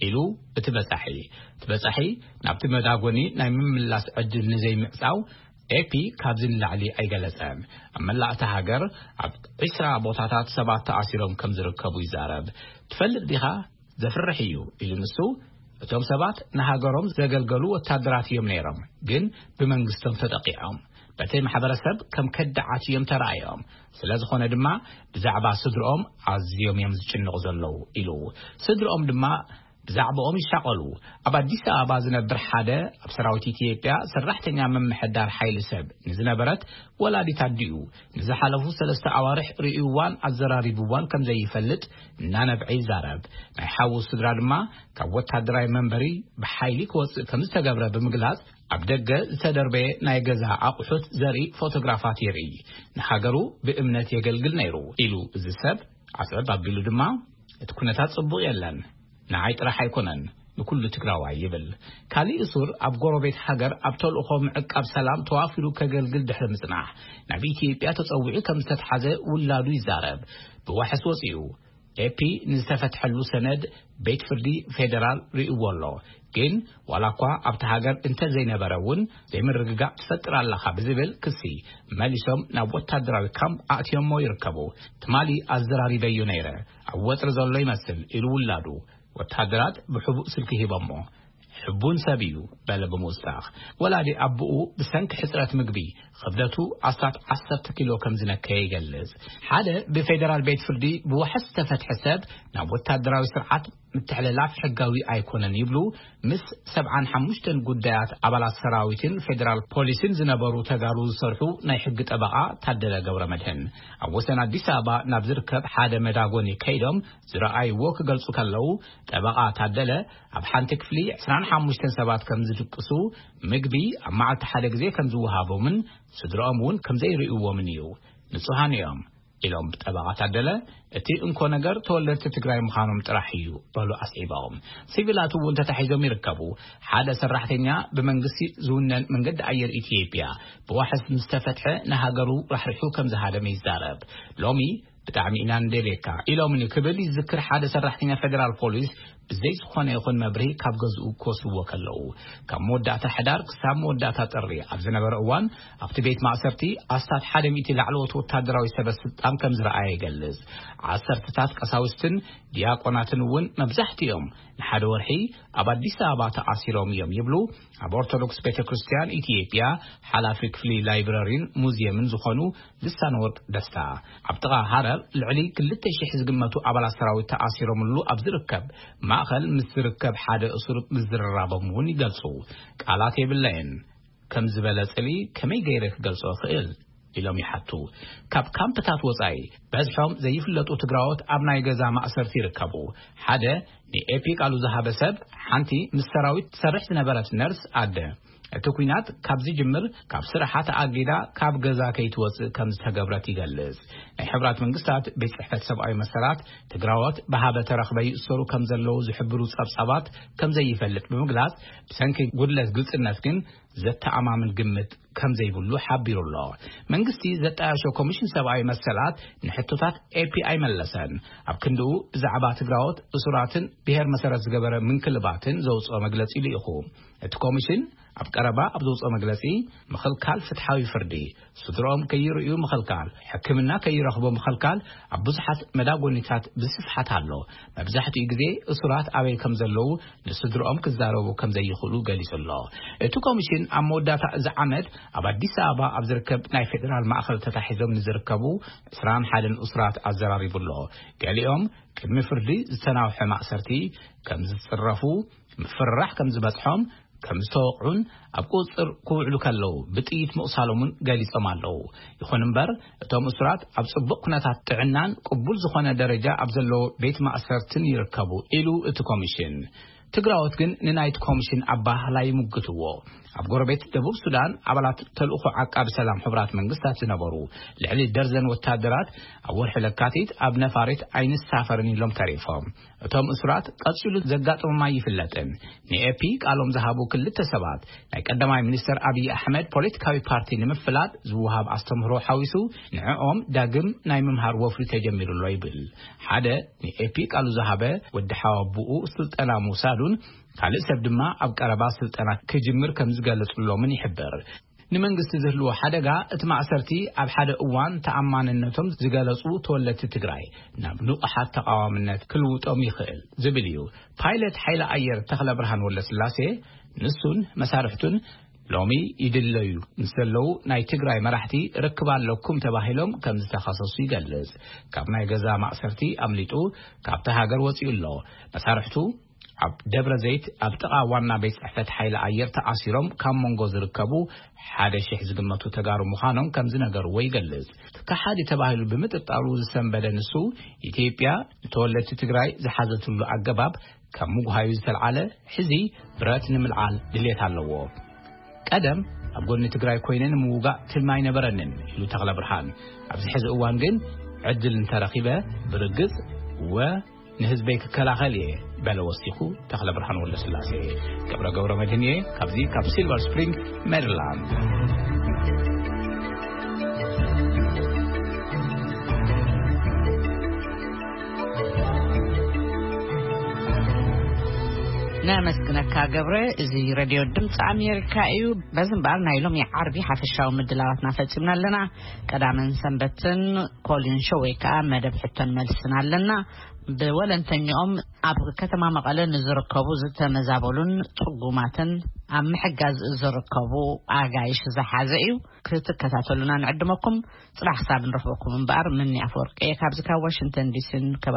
ኢሉ እቲ በጻሒ። እቲ በጻሒ ናብቲ መዳጎኒ ናይ ምምላስ ዕድል ንዘይምዕጻው ኤፒ ካብዚ ንላዕሊ ኣይገለጸን። ኣብ መላእ እታ ሃገር ኣብ ዕስራ ቦታታት ሰባት ተኣሲሮም ከም ዝርከቡ ይዛረብ። ትፈልጥ ዲኻ? ዘፍርሕ እዩ ኢሉ ንሱ። እቶም ሰባት ንሃገሮም ዘገልገሉ ወታደራት እዮም ነይሮም፣ ግን ብመንግስቶም ተጠቂዖም። በቲ ማሕበረሰብ ከም ከዳዓት እዮም ተራእዮም። ስለ ዝኾነ ድማ ብዛዕባ ስድርኦም ኣዝዮም እዮም ዝጭንቑ ዘለዉ ኢሉ። ስድርኦም ድማ ብዛዕባኦም ይሻቐሉ። ኣብ ኣዲስ ኣበባ ዝነብር ሓደ ኣብ ሰራዊት ኢትዮጵያ ሰራሕተኛ ምምሕዳር ሓይሊ ሰብ ንዝነበረት ወላዲት ኣዲኡ ንዝሓለፉ ሰለስተ ኣዋርሕ ርእይዋን ኣዘራሪብዋን ከም ዘይፈልጥ እናነብዐ ይዛረብ። ናይ ሓዉ ስድራ ድማ ካብ ወታደራዊ መንበሪ ብሓይሊ ክወጽእ ከም ዝተገብረ ብምግላጽ ኣብ ደገ ዝተደርበየ ናይ ገዛ ኣቑሑት ዘርኢ ፎቶግራፋት የርኢ። ንሃገሩ ብእምነት የገልግል ነይሩ ኢሉ እዚ ሰብ ዓስዕብ ኣቢሉ ድማ እቲ ኩነታት ጽቡቕ የለን፣ ንዓይ ጥራሕ ኣይኮነን፣ ንኩሉ ትግራዋይ ይብል። ካሊእ እሱር ኣብ ጎረቤት ሃገር ኣብ ተልእኾ ምዕቃብ ሰላም ተዋፊሩ ከገልግል ድሕሪ ምጽናሕ ናብ ኢትዮጵያ ተጸዊዑ ከም ዝተትሓዘ ውላዱ ይዛረብ። ብዋሕስ ወጺኡ ኤፒ ንዝተፈትሐሉ ሰነድ ቤት ፍርዲ ፌደራል ርእይዎ ኣሎ። ግን ዋላ እኳ ኣብቲ ሃገር እንተዘይነበረ እውን ዘይምርግጋእ ትፈጥር ኣለኻ ብዝብል ክሲ መሊሶም ናብ ወታደራዊ ካምፕ ኣእትዮሞ ይርከቡ። ትማሊ ኣዘራሪበዮ ነይረ፣ ኣብ ወጥሪ ዘሎ ይመስል ኢሉ ውላዱ። ወታደራት ብሕቡእ ስልኪ ሂቦሞ። ሕቡን ሰብ እዩ በለ ብምውሳኽ። ወላዲ ኣቦኡ ብሰንኪ ሕጽረት ምግቢ ክብደቱ ኣስታት ዓሰርተ ኪሎ ከም ዝነከየ ይገልጽ። ሓደ ብፌደራል ቤት ፍርዲ ብዋሕስ ዝተፈትሐ ሰብ ናብ ወታደራዊ ስርዓት ምትሕልላፍ ሕጋዊ ኣይኮነን ይብሉ ምስ ሰብዓን ሓሙሽተን ጉዳያት ኣባላት ሰራዊትን ፌደራል ፖሊስን ዝነበሩ ተጋሩ ዝሰርሑ ናይ ሕጊ ጠበቓ ታደለ ገብረ መድህን። ኣብ ወሰን ኣዲስ ኣበባ ናብ ዝርከብ ሓደ መዳጎኒ ከይዶም ዝረኣይዎ ክገልጹ ከለዉ፣ ጠበቓ ታደለ ኣብ ሓንቲ ክፍሊ ዕስራን ሓሙሽተን ሰባት ከም ዝድቅሱ፣ ምግቢ ኣብ መዓልቲ ሓደ ግዜ ከም ዝወሃቦምን ስድራኦም እውን ከም ዘይርእይዎምን እዩ። ንጹሃን እዮም ኢሎም ጠበቓ ታደለ። እቲ እንኮ ነገር ተወለድቲ ትግራይ ምዃኖም ጥራሕ እዩ በሉ ኣስዒቦም። ሲቪላት እውን ተታሒዞም ይርከቡ። ሓደ ሰራሕተኛ ብመንግስቲ ዝውነን መንገዲ ኣየር ኢትዮጵያ ብዋሕስ ምስ ተፈትሐ ንሃገሩ ራሕሪሑ ከም ዝሃደመ ይዛረብ። ሎሚ ብጣዕሚ ኢና ንደልየካ ኢሎምኒ ክብል ይዝክር ሓደ ሰራሕተኛ ፌደራል ፖሊስ ብዘይ ዝኾነ ይኹን መብርሂ ካብ ገዝኡ ክወስድዎ ከለዉ። ካብ መወዳእታ ሕዳር ክሳብ መወዳእታ ጥሪ ኣብ ዝነበረ እዋን ኣብቲ ቤት ማእሰርቲ ኣስታት ሓደ ሚእቲ ላዕለዎት ወታደራዊ ሰበ ስልጣን ከም ዝረኣየ ይገልጽ። ዓሰርተታት ቀሳውስትን ዲያቆናትን እውን መብዛሕትኦም ንሓደ ወርሒ ኣብ ኣዲስ ኣበባ ተኣሲሮም እዮም ይብሉ ኣብ ኦርቶዶክስ ቤተ ክርስቲያን ኢትዮጵያ ሓላፊ ክፍሊ ላይብረሪን ሙዚየምን ዝኾኑ ልሳነ ወርቅ ደስታ። ኣብ ጥቓ ሃረር ልዕሊ ክልተ ሺሕ ዝግመቱ ኣባላት ሰራዊት ተኣሲሮምሉ ኣብ ዝርከብ ማእኸል ምስ ዝርከብ ሓደ እሱር ምዝርራቦም እውን ይገልጹ። ቃላት የብለይን። ከም ዝበለ ጽልኢ ከመይ ገይረ ክገልጾ እኽእል? ኢሎም ይሓቱ። ካብ ካምፕታት ወጻኢ በዝሖም ዘይፍለጡ ትግራዎት ኣብ ናይ ገዛ ማእሰርቲ ይርከቡ። ሓደ ንኤፒ ቃሉ ዝሃበ ሰብ፣ ሓንቲ ምስ ሰራዊት ትሰርሕ ዝነበረት ነርስ ኣደ፣ እቲ ኲናት ካብ ዝጅምር ካብ ስራሓ ተኣጊዳ ካብ ገዛ ከይትወጽእ ከም ዝተገብረት ይገልጽ። ናይ ሕብራት መንግስታት ቤት ጽሕፈት ሰብኣዊ መሰላት ትግራዎት ብሃበ ተረኽበ ይእሰሩ ከም ዘለዉ ዝሕብሩ ጸብጻባት ከም ዘይፈልጥ ብምግላጽ፣ ብሰንኪ ጉድለት ግልጽነት ግን ዘተኣማምን ግምት ከም ዘይብሉ ሓቢሩ ኣሎ። መንግስቲ ዘጣየሾ ኮሚሽን ሰብኣዊ መሰላት ንሕቶታት ኤፒ ኣይመለሰን። ኣብ ክንድኡ ብዛዕባ ትግራዎት እሱራትን ብሄር መሰረት ዝገበረ ምንክልባትን ዘውፅኦ መግለጺ ልኢኹ። እቲ ኮሚሽን ኣብ ቀረባ ኣብ ዘውፅኦ መግለጺ፣ ምኽልካል ፍትሓዊ ፍርዲ፣ ስድሮኦም ከይርእዩ ምኽልካል፣ ሕክምና ከይረኽቡ ምኽልካል ኣብ ብዙሓት መዳጎኒታት ብስፍሓት ኣሎ። መብዛሕትኡ ግዜ እሱራት ኣበይ ከም ዘለዉ ንስድሮኦም ክዛረቡ ከም ዘይኽእሉ ገሊጹ ኣሎ። እቲ ኮሚሽን ኣብ መወዳእታ እዚ ዓመት ኣብ ኣዲስ ኣበባ ኣብ ዝርከብ ናይ ፌደራል ማእኸል ተታሒዞም ንዝርከቡ ዕስራን ሓደን እሱራት ኣዘራሪቡ ኣሎ። ገሊኦም ቅድሚ ፍርዲ ዝተናውሐ ማእሰርቲ ከም ዝጽረፉ፣ ምፍርራሕ ከም ዝበጽሖም፣ ከም ዝተወቕዑን ኣብ ቁጽጽር ክውዕሉ ከለዉ ብጥይት ምቑሳሎም እውን ገሊጾም ኣለዉ። ይኹን እምበር፣ እቶም እሱራት ኣብ ጽቡቕ ኩነታት ጥዕናን ቅቡል ዝኾነ ደረጃ ኣብ ዘለዎ ቤት ማእሰርትን ይርከቡ ኢሉ እቲ ኮሚሽን። ትግራዎት ግን ንናይቲ ኮሚሽን ኣባህላ ይምግትዎ። ኣብ ጎረቤት ደቡብ ሱዳን ኣባላት ተልእኾ ዓቃቢ ሰላም ሕቡራት መንግስታት ዝነበሩ ልዕሊ ደርዘን ወታደራት ኣብ ወርሒ ለካቲት ኣብ ነፋሪት ኣይንሳፈርን ኢሎም ተሪፎም። እቶም እሱራት ቀጺሉ ዘጋጥሞም ኣይፍለጥን። ንኤፒ ቃሎም ዝሃቡ ክልተ ሰባት ናይ ቀዳማይ ሚኒስተር ኣብይ ኣሕመድ ፖለቲካዊ ፓርቲ ንምፍላጥ ዝወሃብ ኣስተምህሮ ሓዊሱ ንዕኦም ዳግም ናይ ምምሃር ወፍሪ ተጀሚሩ ኣሎ ይብል። ሓደ ንኤፒ ቃሉ ዝሃበ ወዲ ሓዋቡኡ ስልጠና ምውሳዱን ካልእ ሰብ ድማ ኣብ ቀረባ ስልጠና ክጅምር ከም ዝገለጹሎምን ይሕብር። ንመንግስቲ ዝህልዎ ሓደጋ እቲ ማእሰርቲ ኣብ ሓደ እዋን ተኣማንነቶም ዝገለጹ ተወለድቲ ትግራይ ናብ ንቑሓት ተቓዋምነት ክልውጦም ይኽእል ዝብል እዩ። ፓይለት ሓይሊ ኣየር ተኽለ ብርሃን ወልደስላሴ ንሱን መሳርሕቱን ሎሚ ይድለዩ ምስ ዘለዉ ናይ ትግራይ መራሕቲ ርክብ ኣለኩም ተባሂሎም ከም ዝተኸሰሱ ይገልጽ። ካብ ናይ ገዛ ማእሰርቲ ኣምሊጡ ካብቲ ሃገር ወጺኡ ኣሎ። መሳርሕቱ ኣብ ደብረ ዘይት ኣብ ጥቓ ዋና ቤት ጽሕፈት ሓይሊ ኣየር ተኣሲሮም ካብ መንጎ ዝርከቡ ሓደ ሺሕ ዝግመቱ ተጋሩ ምዃኖም ከም ዝነገርዎ ይገልጽ። ከሓዲ ተባሂሉ ብምጥርጣሩ ዝሰንበደ ንሱ፣ ኢትዮጵያ ንተወለድቲ ትግራይ ዝሓዘትሉ ኣገባብ ካብ ምጉሃዩ ዝተልዓለ፣ ሕዚ ብረት ንምልዓል ድሌት ኣለዎ። ቀደም ኣብ ጎኒ ትግራይ ኮይነ ንምውጋእ ትልሚ ኣይነበረንን ኢሉ ተኽለ ብርሃን። ኣብዚ ሕዚ እዋን ግን ዕድል እንተረኺበ ብርግጽ ወ ንህዝበይ ክከላኸል እየ በለ ወሲኹ ተኽለ ብርሃን ወልደስላሴ። ገብረ ገብረ መድህን እየ ካብዚ ካብ ሲልቨር ስፕሪንግ ሜሪላንድ። ነመስግነካ ገብረ። እዚ ሬድዮ ድምፂ ኣሜሪካ እዩ። በዚ እምበኣር ናይ ሎሚ ዓርቢ ሓፈሻዊ ምድላዋትና ፈፂምና ኣለና። ቀዳምን ሰንበትን ኮሊን ሾው ወይ ከዓ መደብ ሕቶን መልስን ኣለና። ብወለንተኛኦም ኣብ ከተማ መቐለ ንዝርከቡ ዝተመዛበሉን ፅጉማትን ኣብ ምሕጋዝ ዝርከቡ ኣጋይሽ ዝሓዘ እዩ። ክትከታተሉና ንዕድመኩም። ፅባሕ ክሳብ ንረኽበኩም እምበኣር፣ ምኒ ኣፈወርቂ እየ ካብዚ ካብ ዋሽንግተን ዲሲን